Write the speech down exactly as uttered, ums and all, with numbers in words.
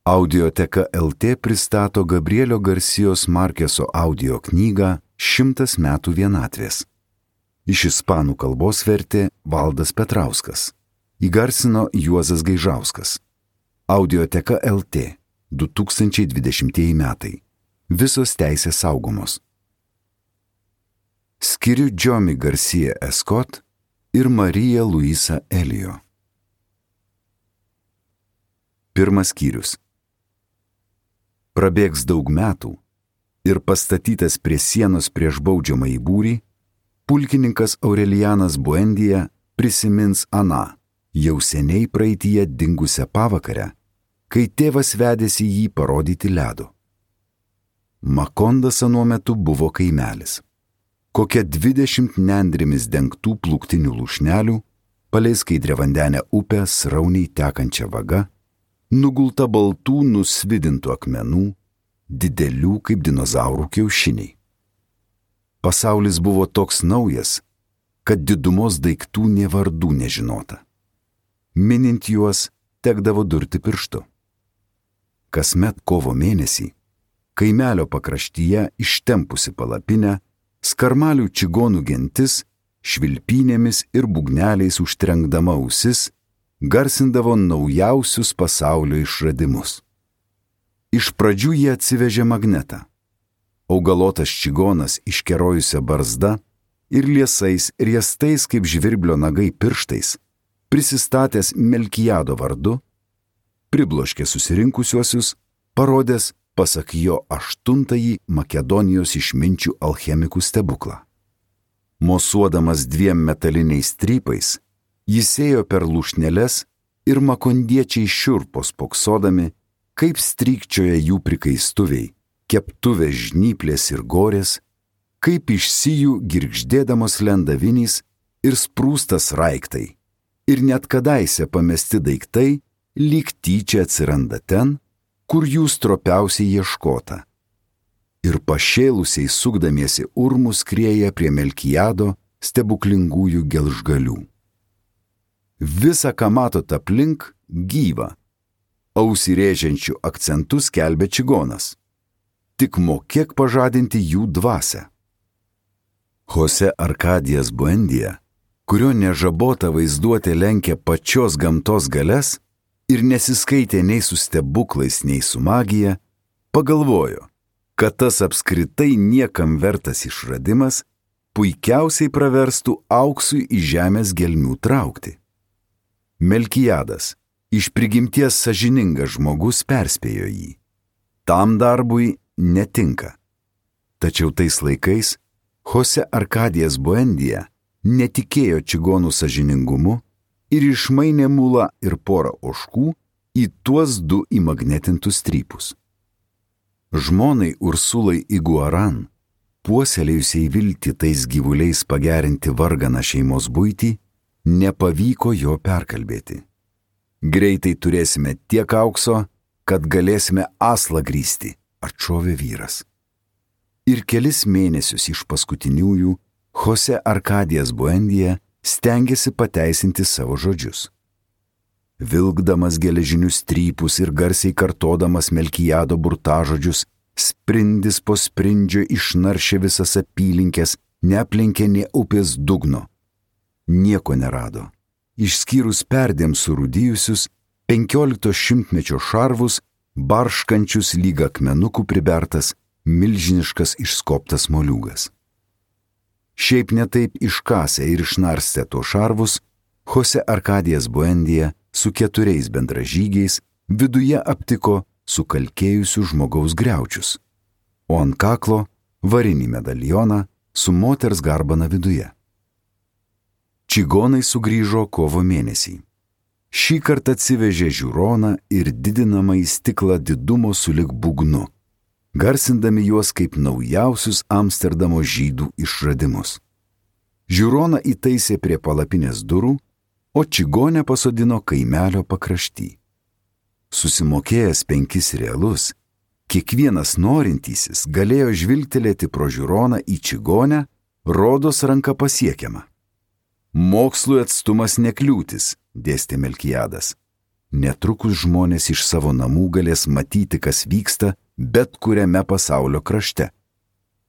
Audioteka L T pristato Gabrielio Garcijos Markeso audio knygą Šimtas metų vienatvės. Iš ispanų kalbos vertė Valdas Petrauskas. Įgarsino Juozas Gaižauskas. Audioteka L T du tūkstančiai dvidešimtieji metai. Visos teisės saugomos. Skiriu Džiomi Garcia Escott ir Marija Luisa Elio. Pirmas skyrius. Prabėgs daug metų ir pastatytas prie sienos prieš baudžiamąjį būrį, pulkininkas Aurelianas Buendija prisimins aną, jau seniai praeityje dingusią pavakarę, kai tėvas vedėsi jį parodyti ledo. Makondas anuo metu buvo kaimelis. Kokia dvidešimt nendrimis dengtų plūktinių lūšnelių, palei skaidriavandenę upę srauniai tekančią vagą, nugulta baltų nusvidintų akmenų, didelių kaip dinozaurų kiaušiniai. Pasaulis buvo toks naujas, kad didumos daiktų nė vardų nežinota. Minint juos, tekdavo durti pirštu. Kasmet kovo mėnesį, kaimelio pakraštyje ištempusi palapinę, skarmalių čigonų gentis, švilpynėmis ir būgneliais užtrenkdama ausis, garsindavo naujausius pasaulio išradimus. Iš pradžių jie atsivežė magnetą. Augalotas čigonas iškerojusią barzdą ir liesais riestais kaip žvirblio nagai pirštais, prisistatęs Melkijado vardu, pribloškė susirinkusiuosius, parodęs pasak jo aštuntąjį Makedonijos išminčių alchemikų stebuklą. Mosuodamas dviem metaliniais strypais, jis ėjo per lūšnėles ir makondiečiai šiurpo spoksodami, kaip strykčioja jų prikaistuviai, keptuvės žnyplės ir gorės, kaip iš sijų girgždėdamos lenda vinys ir sprūstas raiktai, ir net kadaise pamesti daiktai lyg tyčia atsiranda ten, kur jų stropiausiai ieškota. Ir pašėlusiai sukdamiesi urmus skrieja prie Melkijado stebuklingųjų gelžgalių. Visa, ką matot aplink, gyva. Ausį rėžiančių akcentų skelbia čigonas. Tik mokėk pažadinti jų dvasią. Jose Arkadijas Buendija, kurio nežabota vaizduotė lenkia pačios gamtos galias ir nesiskaitė nei su stebuklais, nei su magija, pagalvojo, kad tas apskritai niekam vertas išradimas puikiausiai praverstų auksui į žemės gelmių traukti. Melkijadas, iš prigimties sąžiningas žmogus, perspėjo jį. Tam darbui netinka. Tačiau tais laikais Jose Arkadijas Buendija netikėjo čigonų sąžiningumu ir išmainė mulą ir porą ožkų į tuos du įmagnetintus strypus. Žmonai Ursulai Iguaran, puoselėjusiai viltį tais gyvuliais pagerinti varganą šeimos buitį, nepavyko jo perkalbėti. Greitai turėsime tiek aukso, kad galėsime aslą grįsti, atšovė vyras. Ir kelis mėnesius iš paskutiniųjų Jose Arkadijas Buendija stengėsi pateisinti savo žodžius. Vilkdamas geležinius strypus ir garsiai kartodamas Melkijado burtažodžius, sprindis po sprindžio išnaršė visas apylinkės, neaplenkė nė upės dugno. Nieko nerado, išskyrus perdėm surūdijusius penkiolikto šimtmečio šarvus, barškančius lyg akmenukų pribertas, milžiniškas išskobtas moliūgas. Šiaip netaip iškasę ir išnarstę tuos šarvus, Jose Arkadijas Buendija su keturiais bendražygiais viduje aptiko sukalkėjusių žmogaus griaučius, o ant kaklo varinį medalioną su moters garbana viduje. Čigonai sugrįžo kovo mėnesį. Šį kartą atsivežė žiūroną ir didinamą į stiklą didumo sulig būgnu, garsindami juos kaip naujausius Amsterdamo žydų išradimus. Žiūroną įtaisė prie palapinės durų, o čigonę pasodino kaimelio pakrašty. Susimokėjęs penkis realus, kiekvienas norintysis galėjo žvilgtelėti pro žiūroną į čigonę, rodos ranka pasiekiama. Mokslui atstumas nekliūtis, dėstė Melkijadas. netrukus žmonės iš savo namų galės matyti, kas vyksta bet kuriame pasaulio krašte.